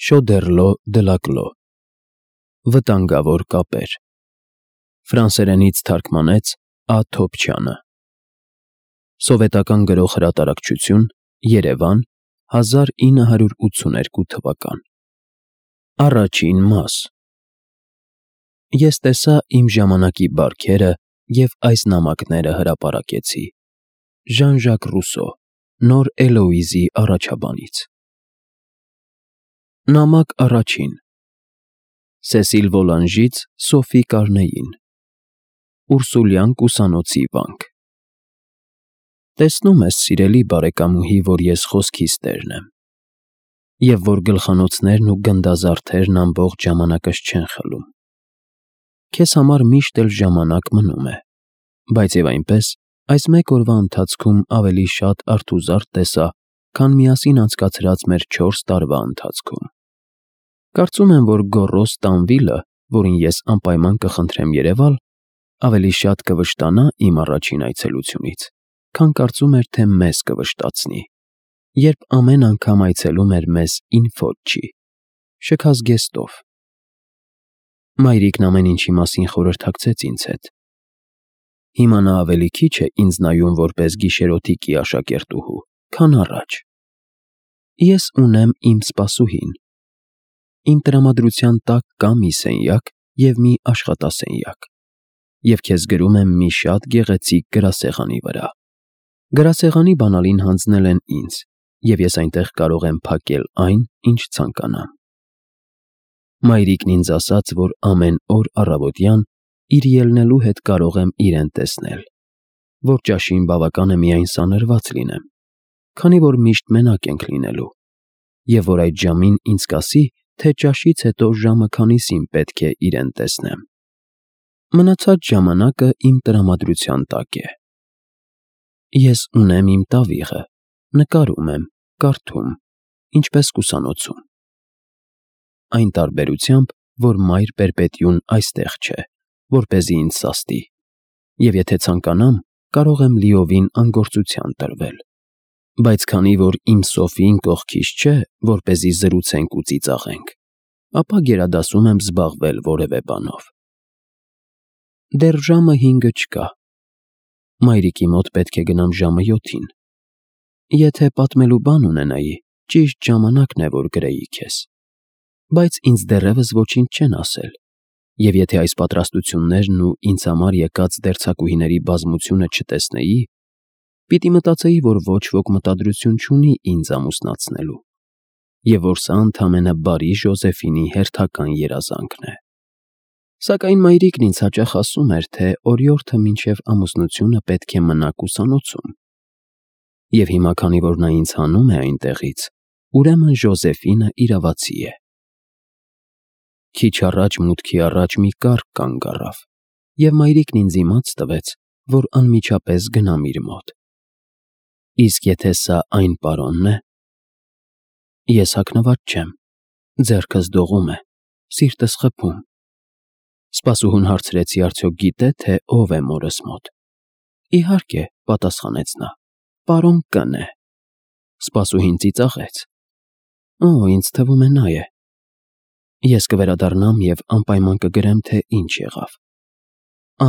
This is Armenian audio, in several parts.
Շոդերլո դլակլո Վտանգավոր կապեր Ֆրանսերենից թարգմանեց Ա. Թոփչյանը Սովետական գրող հրատարակչություն Երևան 1982 թվական Առաջին մաս Ես տեսա իմ ժամանակի բարքերը և այս նամակները հրապարակեցի Ժան-Ժակ Ռուսո Նոր Էլոիզի առաջաբանից Նամակ առաջին Սեսիլ Վոլանժից Սոֆի Կարնեին Ուրսուլյան կուսանոցի վանք Տեսնում ես, սիրելի բարեկամուհի, որ ես խոսքիս տերն եմ, և որ գլխանոցներն ու գնդազարդերն ամբողջ ժամանակս չեն խլում։ Քեզ համար միշտ էլ ժամանակ մնում է, բայց և այնպես, այս մեկ օրվա ընթացքում ավելի շատ արթուզարդ տեսա, քան միասին անցկացրած մեր 4 տարվա ընթացքում։ Կարծում եմ, որ գոռոզ Տանվիլը, որին ես անպայման կխնդրեմ երևալ, ավելի շատ կվշտանա իմ առաջին այցելությունից, քան կարծում էր, թե մեզ կվշտացնի, երբ ամեն անգամ այցելում էր մեզ ինֆոչի, շքազգեստով։ Մայրիկն ամեն ինչի մասին խորհրդակցեց ինձ հետ։ Հիմա նա ավելի քիչ է ինձ նայում որպես գիշերօթիկի աշակերտուհու, քան առաջ։ Ես ունեմ իմ սպասուհին։ Իմ տրամադրության տակ կա մի սենյակ և մի աշխատասենյակ, և քեզ գրում եմ մի շատ գեղեցիկ գրասեղանի վրա։ Գրասեղանի բանալին հանձնել են ինձ, և ես այնտեղ կարող եմ փակել այն, ինչ ցանկանամ։ Մայրիկն ինձ ասաց, որ ամեն օր առավոտյան իր ելնելու հետ կարող եմ իրեն տեսնել, որ ճաշին բավական է միայն սանրված լինեմ, քանի որ միշտ մենակ ենք լինելու, և որ այդ ժամին ինձ կասի, թե ճաշից հետո ժամը քանիսին պետք է իրեն տեսնեմ։ Մնացած ժամանակը իմ տրամադրության տակ է։ Ես ունեմ իմ տավիղը, նկարում եմ, կարդում, ինչպես կուսանոցում։ Այն տարբերությամբ, որ մայր պերպետյուն այստեղ չէ, որպեսզի ինձ սաստի, և եթե ցանկանամ, կարող եմ լիովին անգործության տրվել, բայց քանի որ իմ Սոֆին կողքիս չէ, որպեսզի զրուցենք ու ծիծաղենք, ապա գերադասում եմ զբաղվել որևէ բանով։ Դեռ ժամը 5-ը չկա։ Մայրիկի մոտ պետք է գնամ ժամը 7-ին։ Եթե պատմելու բան ունենայի, ճիշտ ժամանակն է, որ գրեի քեզ։ Բայց ինձ դեռևս ոչինչ չեն ասել, և եթե այս պատրաստություններն ու ինձ համար եկած դերձակուհիների բազմությունը չտեսնեի, պիտի մտածեի, որ ոչ ոք մտադրություն չունի ինձ ամուսնացնելու, և որ սա ընդամենը բարի Ժոզեֆինի հերթական երազանքն է։ Սակայն մայրիկն ինձ հաճախ ասում էր, թե օրիորդը մինչև ամուսնությունը պետք է մնա կուսանոցում, և հիմա, քանի որ նա ինձ հանում է այնտեղից, ուրեմն Ժոզեֆինը իրավացի է։ Քիչ առաջ մուտքի առաջ մի կառք կանգ առավ, և մայրիկն ինձ իմաց տվեց, որ անմիջապես գնամ իր մոտ։ Իսկ եթե սա այն պարոնն է… Ես հագնված չեմ, ձեռքս դողում է, սիրտս խփում։ Սպասուհուն հարցրեցի արդյոք գիտե, թե ով է մորս մոտ։ Իհարկե, պատասխանեց նա, պարոն Կ.Ն. է։ Սպասուհին ծիծաղեց։ Օ, ինձ թվում է նա է։ Ես կվերադառնամ և անպայման կգրեմ, թե ինչ եղավ։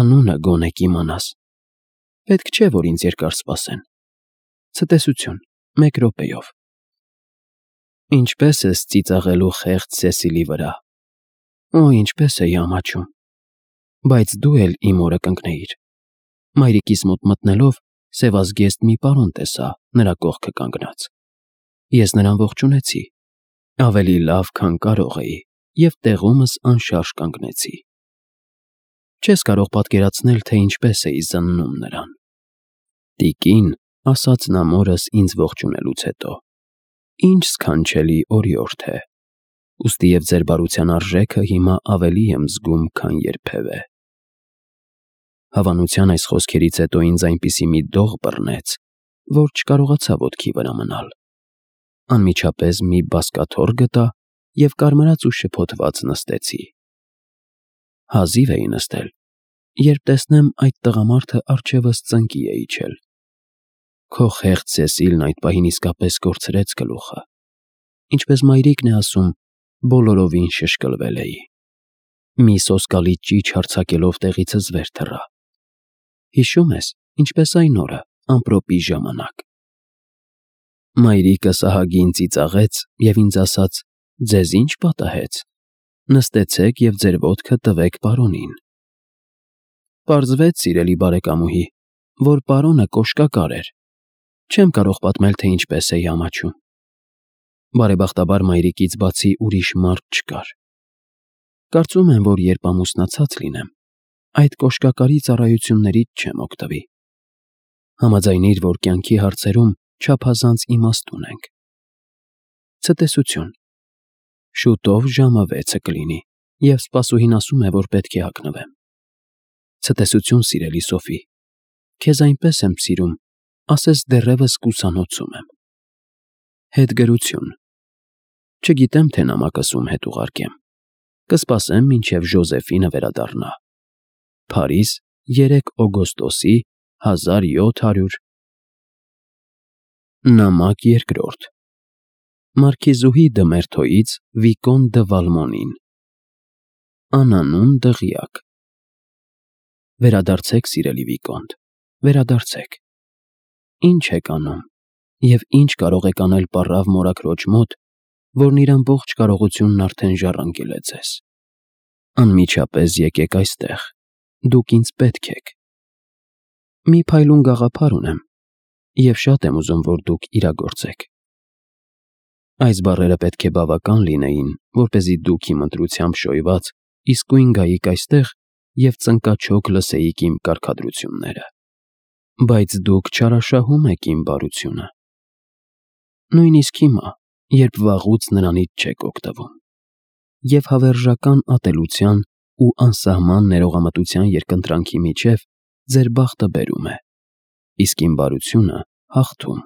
Անունը գոնե կիմանաս։ Պետք չէ, որ ինձ երկար սպասեն։ Ցտեսություն, 1 րոպեով։ Ինչպե՞ս ես ծիծաղելու խեղճ Սեսիլի վրա։ Օ, ինչպես էի ամաչում։ Բայց դու էլ իմ օրը կընկնեիր։ Մայրիկիս մոտ մտնելով, սևազգեստ մի պարոն տեսա նրա կողքը կանգնած։ Ես նրան ողջունեցի, ավելի լավ, քան կարող էի, և տեղումս անշարժ կանգնեցի։ Չես կարող պատկերացնել, թե ինչպես էի զննում նրան։ Տիկին, ասաց նա մորս ինձ ողջունելուց հետո, ինչ սքանչելի օրիորդ է, ուստիև ձեր բարության արժեքը հիմա ավելի եմ զգում, քան երբևէ։ Հավանության այս խոսքերից հետո ինձ այնպիսի մի դող բռնեց, որ չկարողացա ոտքի վրա մնալ։ Անմիջապես մի բազկաթոռ գտա և կարմրած ու շփոթված նստեցի։ Հազիվ էի նստել, երբ տեսնեմ այդ տղամարդը առջևս ծնկի է իջել։ Քո խեղճ Սեսիլն այդ պահին իսկապես կորցրեց գլուխը։ Ինչպես մայրիկն է ասում, բոլորովին շշկլվել էի։ Մի սոսկալի ճիչ հարձակելով տեղիցս վեր թռա։ Հիշում ես, ինչպես այն օրը, ամպրոպի ժամանակ։ Մայրիկս ահագին ծիծաղեց և ինձ ասաց. «Ձեզ ինչ պատահեց, նստեցեք և ձեր ոտքը տվեք պարոնին»։ Պարզվեց, սիրելի բարեկամուհի, որ պարոնը կոշկակար էր։ Չեմ կարող պատմել, թե ինչպես էի ամաչում։ Բարեբախտաբար մայրիկից բացի ուրիշ մարդ չկար։ Կարծում եմ, որ երբ ամուսնացած լինեմ, այդ կոշկակարի ծառայություններից չեմ օգտվի։ Համաձայնիր, որ կյանքի հարցերում չափազանց իմաստ ունենք։ Ցտեսություն։ Շուտով ժամը 6 կլինի, և սպասուհին ասում է, որ պետք է հագնվեմ։ Ցտեսություն, սիրելի Սոֆի։ Քեզ այնպես եմ սիրում, ասես դեռևս կուսանոցում եմ։ Հետգրություն։ Չգիտեմ, թե նամակս ում հետ ուղարկեմ։ Կսպասեմ, մինչև Ժոզեֆինը վերադառնա։ Փարիզ, 3 օգոստոսի 1700։ Նամակ 2. Մարքիզուհի դը Մերթոյից Վիկոն դը Վալմոնին։ Անանուն դղյակ։ Վերադարձեք, սիրելի Վիկոնտ, վերադարձեք։ Ինչ եք անում և ինչ կարող եք անել պառավ մորաքրոջ մոտ, որն իր ամբողջ կարողությունն արդեն ժառանգել է ձեզ։ Անմիջապես եկեք այստեղ, դուք ինձ պետք եք։ Մի փայլուն գաղափար ունեմ, և շատ եմ ուզում, որ դուք իրագործեք։ Այս բառերը պետք է բավական լինեին, որպեսզի դուք իմ ընտրությամբ շոյված իսկույն գայիք այստեղ և ծնկաչոք լսեիք իմ կարգադրությունները։ Բայց դուք չարաշահում եք իմ բարությունը։ Նույնիսկ հիմա, երբ վաղուց նրանից չեք օգտվում, և հավերժական ատելության ու անսահման ներողամտության երկընտրանքի միջև ձեր բախտը բերում է, իսկ իմ բարությունը հաղթում։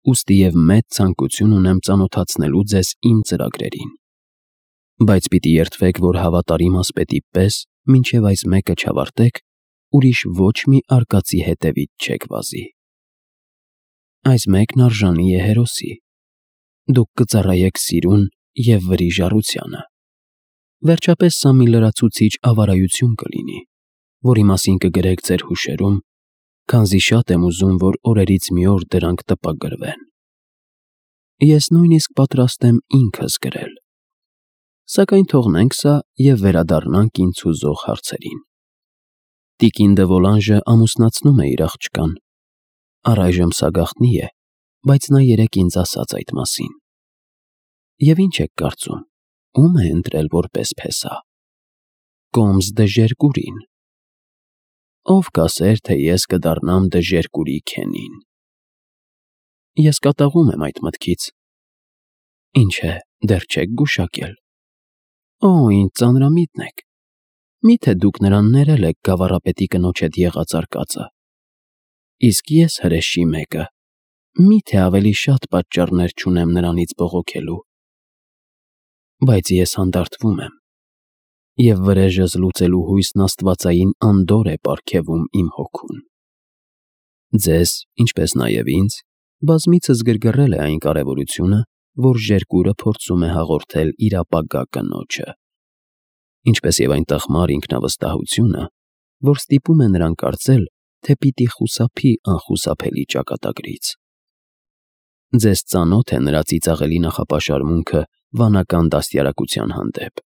Ուստի և մեծ ցանկություն ունեմ ծանոթացնելու ձեզ իմ ծրագրերին։ Բայց պիտի երդվեք, որ հավատարիմ ասպետի պես, մինչև այս մեկը չավարտեք, ուրիշ ոչ մի արկածի հետևից չեք վազի։ Այս մեկն արժանի է հերոսի։ Դուք կծառայեք սիրուն և վրիժառությանը։ Վերջապես սա մի լրացուցիչ ավարայություն կլինի, որի մասին կգրեք ձեր հուշերում, քանզի շատ եմ ուզում, որ օրերից մի օր դրանք տպագրվեն։ Ես նույնիսկ պատրաստ եմ ինքս գրել։ Սակայն թողնենք սա և վերադառնանք ինձ հուզող հարցերին։ Տիկին դը Վոլանժը ամուսնացնում է իր աղջկան։ Առայժմ սա գաղտնի է, բայց նա երեկ ինձ ասաց այդ մասին։ Եվ ինչ եք կարծում, ում է ընտրել որպես փեսա։ Կոմս դը Ժերկուրին։ Ով կասեր, թե ես կդառնամ դը Ժերկուրի քենին։ Ես կատաղում եմ այդ մտքից։ Ինչ է, դեռ չեք գուշակել։ Օ, ինչ ծանրամիտ եք։ Միթե դուք նրան ներել եք գավառապետի կնոջ հետ եղած արկածը։ Իսկ ես հրեշի մեկը, միթե ավելի շատ պատճառներ չունեմ նրանից բողոքելու։ Բայց ես հանդարտվում եմ, և վրեժս լուծելու հույսն աստվածային անդորր է պարգևում իմ հոգուն։ Ձեզ, ինչպես նաև ինձ, բազմիցս գրգռել է այն կարևորությունը, որ Ժերկուրը փորձում է հաղորդել իր ապագա կնոջը, ինչպես և այն տխմար ինքնավստահությունը, որ ստիպում է նրան կարծել, թե պիտի խուսափի անխուսափելի ճակատագրից։ Ձեզ ծանոթ է նրա ծիծաղելի նախապաշարմունքը վանական դաստիարակության հանդեպ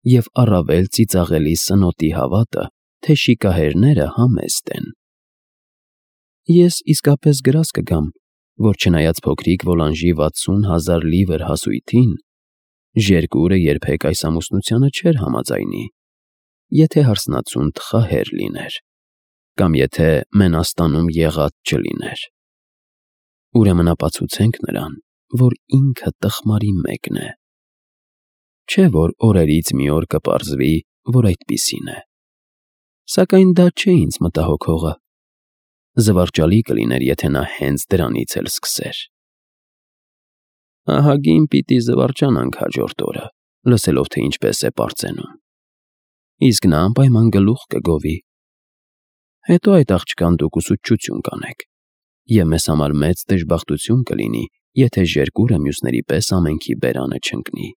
և առավել ծիծաղելի սնոտի հավատը, թե շիկահերները համեստ են։ Ես իսկապես գրազ կգամ, որ չնայած փոքրիկ Վոլանժի 60,000 լիվր հասույթին, Ժերկուրը երբեք այս ամուսնությանը չէր համաձայնի, եթե հարսնացուն թխահեր լիներ, կամ եթե Մենաստանում եղած չլիներ։ Ուրեմն ապացուցենք նրան, որ ինքը տխմարի մեկն է։ Չէ՞ որ օրերից մի օր կպարզվի, որ այդպիսին է։ Սակայն դա չէ ինձ մտահոգողը։ Զվարճալի կլիներ, եթե նա հենց դրանից էլ սկսեր։ Ահագին պիտի զվարճանանք հաջորդ օրը, լսելով, թե ինչպես է պարծենում։ Իսկ նա անպայման գլուխ կգովի։ Հետո այդ աղջկան դուք ուսուցչություն կանեք, և մեզ համար մեծ դժբախտություն կլինի, եթե Ժերկուրը մյուսների պես ամենքի բերանը չընկնի։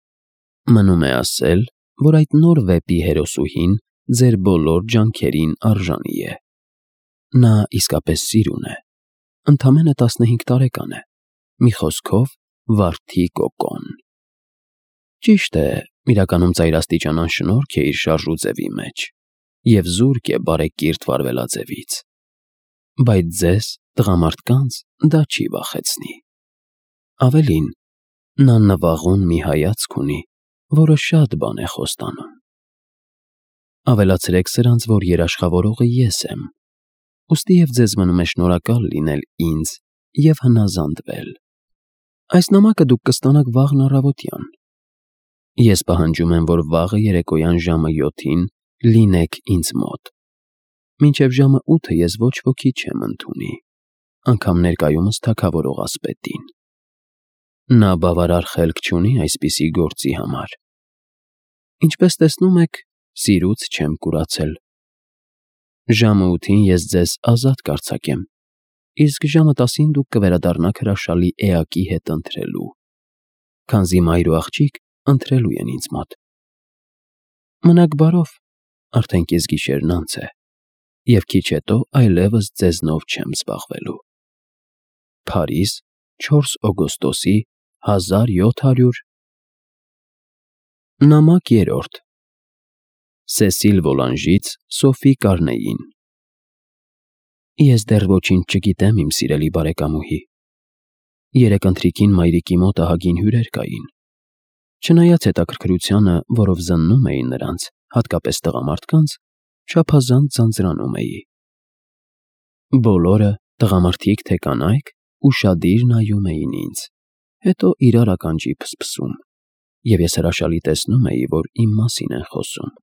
Մնում է ասել, որ այդ նոր վեպի հերոսուհին ձեր բոլոր ջանքերին արժանի է։ Նա իսկապես սիրուն է, ընդամենը 15 տարեկան է, մի խոսքով վարդի կոկոն։ Ճիշտ է, իրականում ծայրաստիճան անշնորհք է իր շարժու ձևի մեջ և զուրկ է բարեկիրթ վարվելաձևից, բայց ձեզ, տղամարդկանց, դա չի վախեցնի։ Ավելին, նա նվաղուն մի հայացք ունի, որը շատ բան է խոստանում։ Ավելացրեք սրանց, որ երաշխավորողը ես եմ, ուստի և ձեզ մնում է շնորհակալ լինել ինձ և հնազանդվել։ Այս նամակը դուք կստանաք վաղն առավոտյան։ Ես պահանջում եմ, որ վաղը երեկոյան ժամը 7-ին լինեք ինձ մոտ։ Մինչև ժամը 8-ը ես ոչ ոքի չեմ ընդունի, անգամ ներկայումս թագավորող ասպետին։ Նա բավարար խելք չունի այսպիսի գործի համար։ Ինչպես տեսնում եք, սիրուց չեմ կուրացել։ Ժամը 8-ին ես ձեզ ազատ կարձակեմ, իսկ ժամը 10-ին դուք կվերադառնաք հրաշալի էակի հետ ընթրելու, քանզի մայր ու աղջիկ ընթրելու են ինձ մոտ։ Մնաք բարով, արդեն կեսգիշերն անց է, և քիչ հետո այլևս ձեզնով չեմ զբաղվելու։ Փարիզ, 4 օգոստոսի 1700 Նամակ 3 Սեսիլ Վոլանժից Սոֆի Կարնեին։ Ես դեռ ոչինչ չգիտեմ, իմ սիրելի բարեկամուհի։ Երեկ ընթրիքին մայրիկի մոտ ահագին հյուրեր կային։ Չնայած հետաքրքրությանը, որով զննում էին նրանց, հատկապես տղամարդկանց, չափազանց ձանձրանում էի։ Բոլորը, տղամարդիկ թե կանայք, ուշադիր նայում էին ինձ, հետո իրար ականջի փսփսում, և ես հրաշալի տեսնում էի, որ իմ մասին են խոսում։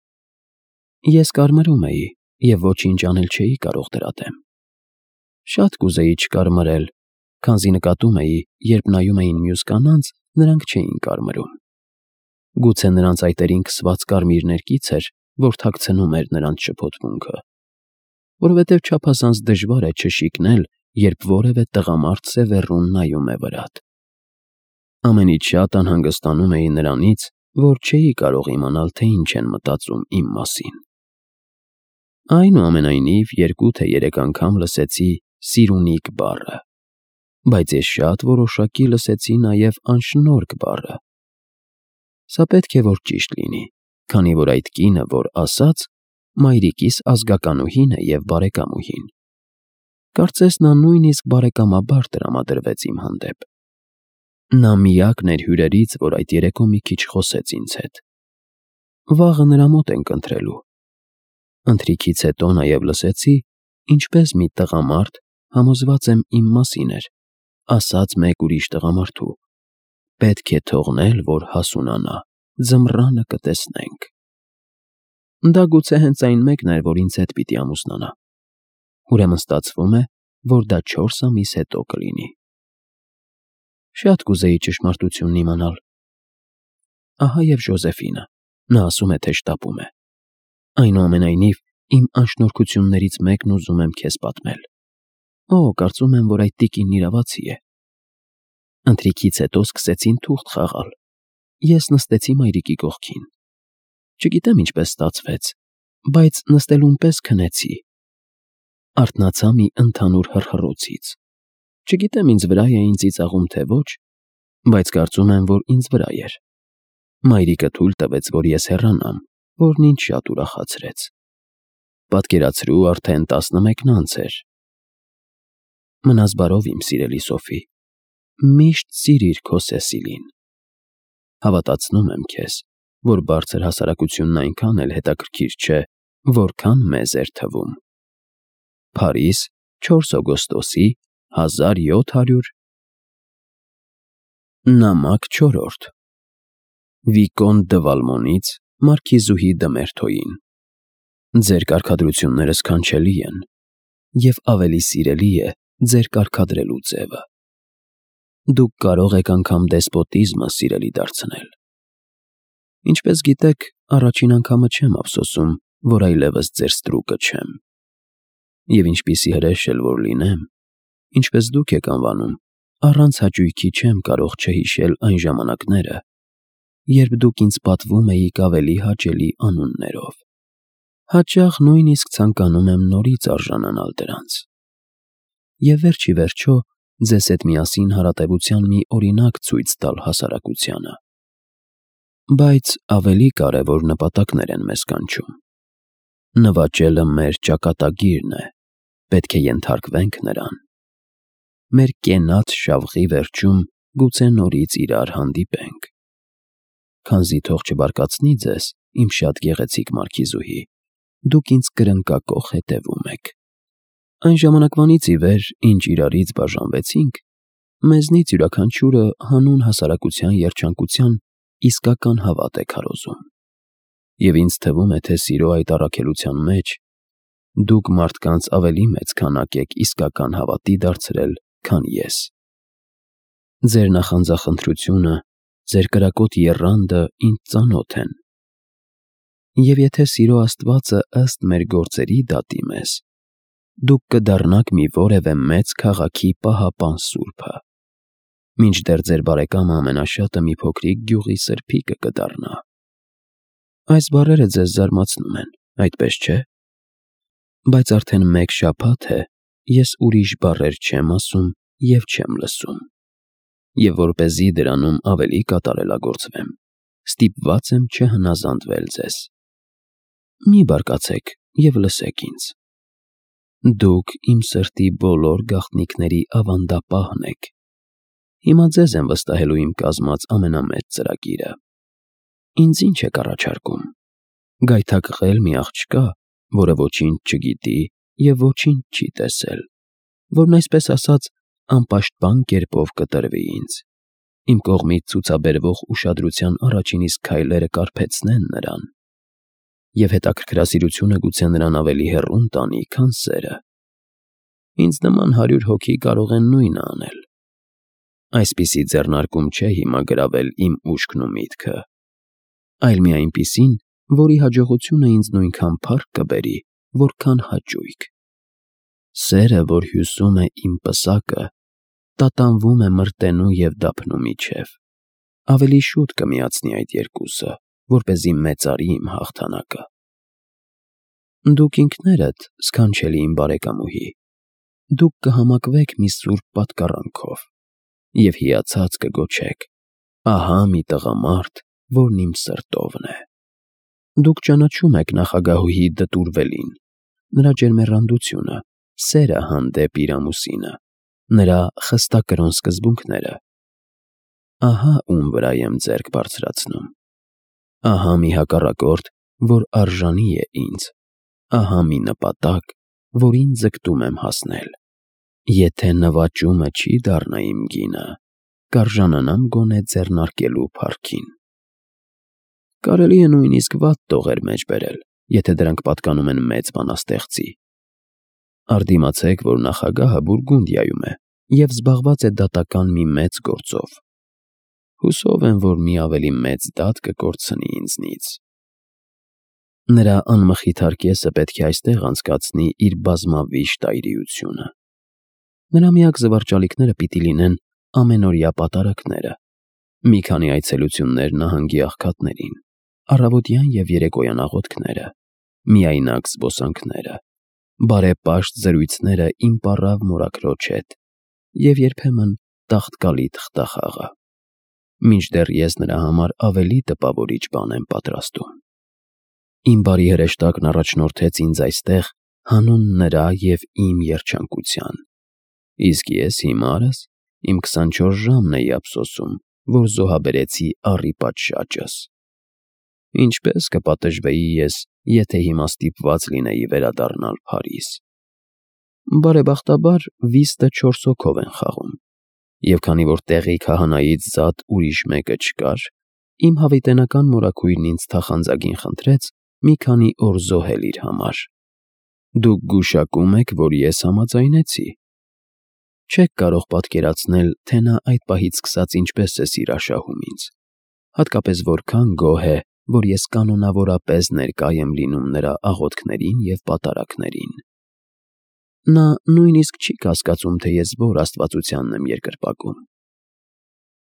Ես կարմրում էի և ոչինչ անել չէի կարող դրա դեմ։ Շատ կուզեի չկարմրել, քանզի նկատում էի, երբ նայում էին մյուս կանանց, նրանք չէին կարմրում։ Գուցե նրանց այտերին քսված կարմիր ներկից էր, որ թաքցնում էր նրանց շփոթմունքը, որովհետև չափազանց դժվար է չշիկնել, երբ որևէ տղամարդ սևեռուն նայում է վրատ։ Ամենից շատ անհանգստանում էի նրանից, որ չէի կարող իմանալ, թե ինչ են մտածում իմ մասին։ Այնուամենայնիվ, 2 թե 3 անգամ լսեցի «սիրունիկ» բառը, բայց ես շատ որոշակի լսեցի նաև «անշնորհք» բառը։ Սա պետք է որ ճիշտ լինի, քանի որ այդ կինը, որ ասաց, մայրիկիս ազգականուհին է և բարեկամուհին։ Կարծես նա նույնիսկ բարեկամաբար տրամադրվեց իմ հանդեպ։ Նա միակն էր հյուրերից, որ այդ երեկո մի քիչ խոսեց ինձ հետ։ Վաղը նրա մոտ ենք ընթրելու։ Ընթրիքից հետո նաև լսեցի, ինչպես մի տղամարդ, համոզված եմ իմ մասին էր, ասաց մեկ ուրիշ տղամարդու. պետք է թողնել, որ հասունանա, ձմռանը կտեսնենք։ Դա գուցե հենց այն մեկն էր, որ ինձ հետ պիտի ամուսնանա։ Ուրեմն ստացվում է, որ դա 4 ամիս հետո կլինի։ Շատ կուզեի ճշմարտությունն իմանալ։ Ահա և Ժոզեֆինը, նա ասում է, թե շտապում է։ Այնուամենայնիվ, իմ անշնորհքություններից մեկն ուզում եմ քեզ պատմել։ Օ, կարծում եմ, որ այդ տիկինն իրավացի է։ Ընթրիքից հետո սկսեցին թուղթ խաղալ։ Ես նստեցի մայրիկի կողքին։ Չգիտեմ ինչպես ստացվեց, բայց նստելուն պես քնեցի։ Արթնացա մի ընդհանուր հռհռոցից։ Չգիտեմ ինձ վրա էին ծիծաղում թե ոչ, բայց կարծում եմ, որ ինձ վրա էր։ Մայրիկը թույլ տվեց, որ ես հեռանամ, որն ինձ շատ ուրախացրեց։ Պատկերացրու, արդեն 11-ն անց էր։ Մնաս բարով, իմ սիրելի Սոֆի։ Միշտ սիրիր քո Սեսիլին։ Հավատացնում եմ քեզ, որ բարձր հասարակությունն այնքան էլ հետաքրքիր չէ, որքան մեզ էր թվում։ Փարիզ, 4 օգոստոսի 1700 Նամակ 4 Վիկոն դը Վալմոնից մարքիզուհի դը Մերթոյին։ Ձեր կարգադրությունները սքանչելի են, և ավելի սիրելի է ձեր կարգադրելու ձևը։ Դուք կարող եք անգամ դեսպոտիզմը սիրելի դարձնել։ Ինչպես գիտեք, առաջին անգամը չեմ ափսոսում, որ այլևս ձեր ստրուկը չեմ։ Եվ ինչպիսի հրեշ էլ որ լինեմ, ինչպես դուք եք անվանում, առանց հաճույքի չեմ կարող չհիշել այն ժամանակները, երբ դուք ինձ պատվում էիք ավելի հաճելի անուններով։ Հաճախ նույնիսկ ցանկանում եմ նորից արժանանալ դրանց։ Եվ վերջ ի վերջո ձեզ հետ միասին հարատևության մի օրինակ ցույց տալ հասարակությանը։ Բայց ավելի կարևոր նպատակներ են մեզ կանչում։ Նվաճելը մեր ճակատագիրն է, պետք է ենթարկվենք նրան։ Մեր կենաց շավղի վերջում գուցե նորից իրար հանդիպենք։ Քանզի թող չբարկացնի ձեզ, իմ շատ գեղեցիկ մարգիզուհի, դուք ինձ կրնկակոխ հետևում եք։ Այն ժամանակվանից ի վեր, ինչ իրարից բաժանվեցինք, մեզնից յուրաքանչյուրը հանուն հասարակության երջանկության իսկական հավատ է քարոզում։ Եվ ինձ թվում է, թե սիրո այդ առաքելության մեջ դուք մարդկանց ավելի մեծ քանակ եք իսկական հավատի դարձրել, քան ես։ Ձեր նախանձախնդրությունը, ձեր կրակոտ եռանդը ինձ ծանոթ են։ Եվ եթե սիրո Աստվածը ըստ մեր գործերի դատի մեզ, դուք կդառնաք մի որևէ մեծ քաղաքի պահապան սուրբը, մինչդեռ ձեր բարեկամը ամենաշատը մի փոքրիկ գյուղի սրբիկը կդառնա։ Այս բառերը ձեզ զարմացնում են, այդպես չէ՞։ Բայց արդեն մեկ շաբաթ է, ես ուրիշ բառեր չեմ ասում և չեմ լսում։ Եվ որպեսզի դրանում ավելի կատարելագործվեմ, ստիպված եմ չհնազանդվել ձեզ։ Մի բարկացեք և լսեք ինձ։ Դուք իմ սրտի բոլոր գաղտնիքների ավանդապահն եք։ Հիմա ձեզ եմ վստահելու իմ կազմած ամենամեծ ծրագիրը։ Ինձ ինչ եք առաջարկում։ Գայթակղել մի աղջկա, որը ոչինչ չգիտի և ոչինչ չի տեսել, որն այսպես ասած անպաշտպան կերպով կտրվի ինձ։ Իմ կողմից ցուցաբերվող ուշադրության առաջին իսկ քայլերը կարբեցնեն նրան, և հետաքրքրասիրությունը գուցե նրան ավելի հեռուն տանի, քան սերը։ Ինձ նման 100 հոգի կարող են նույնը անել։ Այսպիսի ձեռնարկում չէ հիմա գրավել իմ ուշքն ու միտքը, այլ մի այնպիսին, որի հաջողությունը ինձ նույնքան փառք կբերի, որքան հաճույք։ Սերը, որ հյուսում է իմ պսակը, տատանվում է մրտենու և դափնու միջև, ավելի շուտ կմիացնի այդ երկուսը, որպեսզի մեծարի իմ հաղթանակը։ Դուք ինքներդ, սքանչելի իմ բարեկամուհի, դուք կհամակվեք մի սուրբ պատկառանքով և հիացած կգոչեք. «Ահա մի տղամարդ, որն իմ սրտովն է»։ Դուք ճանաչում եք նախագահուհի դտուրվելին, նրա ջերմեռանդությունը, սերը հանդեպ իր ամուսինը, նրա խստակրոն սկզբունքները։ Ահա ում վրա եմ ձեռք բարձրացնում։ Ահա մի հակառակորդ, որ արժանի է ինձ։ Ահա մի նպատակ, որին ձգտում եմ հասնել։ Եթե նվաճումը չի դառնա իմ գինը, կարժանանամ գոնե ձեռնարկելու փառքին։ Կարելի է նույնիսկ վատ տողեր մեջ բերել, եթե դրանք պատկանում են մեծ բանաստեղծի։ Արդիմացեք, որ նախագահը Բուրգունդիայում է և զբաղված է դատական մի մեծ գործով։ Հուսով եմ, որ մի ավելի մեծ դատ կկորցնի ինձնից։ Նրա անմխիթար կեսը պետք է այստեղ անցկացնի իր բազմավիշ տայրիությունը։ Նրա միակ զվարճալիքները պիտի լինեն ամենօրյա պատարագները, մի քանի այցելություններ նահանգի աղքատներին, առավոտյան և երեկոյան աղոթքները, միայնակ զբոսանքները, բարեպաշտ զրույցները իմ պառավ մորաքրոջ հետ և երբեմն տաղտկալի թղթախաղը, մինչդեռ ես նրա համար ավելի տպավորիչ բան եմ պատրաստում։ Իմ բարի հրեշտակն առաջնորդեց ինձ այստեղ հանուն նրա և իմ երջանկության, իսկ ես հիմարս իմ 24 ժամն էի ափսոսում, որ զոհաբերեցի առի պատշաճս։ Ինչպես կպատժվեի ես, եթե հիմա ստիպված լինեի վերադառնալ Փարիզ։ Բարեբախտաբար վիստը 4 հոգով են խաղում, և քանի որ տեղի քահանայից զատ ուրիշ մեկը չկար, իմ հավիտենական մորաքույրն ինձ թախանձագին խնդրեց մի քանի օր զոհել իր համար։ Դուք գուշակում եք, որ ես համաձայնեցի։ Չեք կարող պատկերացնել, թե նա այդ պահից սկսած ինչպես է սիրաշահում ինձ, հատկապես որքան գոհ է, որ ես կանոնավորապես ներկա եմ լինում նրա աղոթքներին և պատարագներին։ Նա նույնիսկ չի կասկածում, թե ես որ աստվածությանն եմ երկրպագում։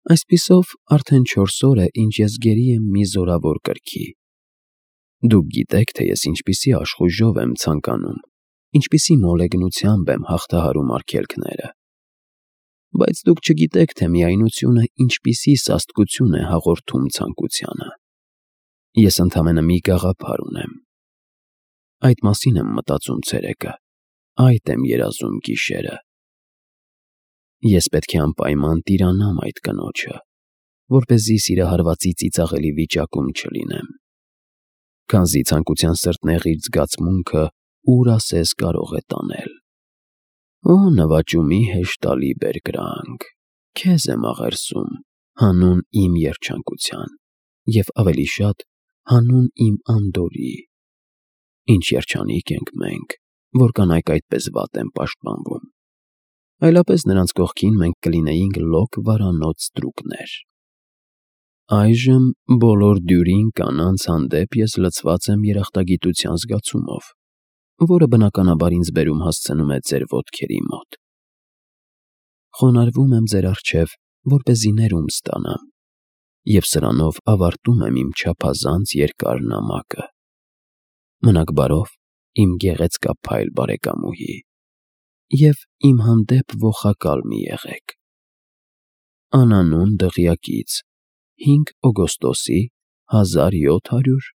Այսպիսով արդեն 4 օր է, ինչ ես գերի եմ մի զորավոր կրքի։ Դուք գիտեք, թե ես ինչպիսի աշխույժով եմ ցանկանում, ինչպիսի մոլեգնությամբ եմ հաղթահարում արգելքները։ Բայց դուք չգիտեք, թե միայնությունը ինչպիսի սաստկություն է հաղորդում ցանկությանը։ Ես ընդամենը մի գաղափար ունեմ։ Այդ մասին եմ մտածում ցերեկը, այդ եմ երազում գիշերը։ Ես պետք է անպայման տիրանամ այդ կնոջը, որպեսզի սիրահարվածի ծիծաղելի վիճակում չլինեմ։ Քանզի ցանկության սրտնեղիր զգացմունքը ուր ասես կարող է տանել։ Օ նվաճումի հեշտալի բերկրանք, քեզ եմ աղերսում, հանուն իմ երջանկության, և ավելի շատ հանուն իմ անդորրի։ Ինչ երջանիկ ենք մենք, որ կանայք այդպես վատ են պաշտպանվում։ Այլապես նրանց կողքին մենք կլինեինք լոկ վարանոց ստրուկներ։ Այժմ բոլոր դյուրին կանանց հանդեպ ես լցված եմ երախտագիտության զգացումով, որը բնականաբար ինձ բերում հասցնում է ձեր ոտքերի մոտ։ Խոնարհվում եմ ձեր առջև, որպեսզի ներում ստանամ, և սրանով ավարտում եմ իմ չափազանց երկար նամակը։ Մնաք բարով, իմ գեղեցկափայլ բարեկամուհի, և իմ հանդեպ ոխակալ մի եղեք։ Անանուն դղյակից 5 օգոստոսի 1700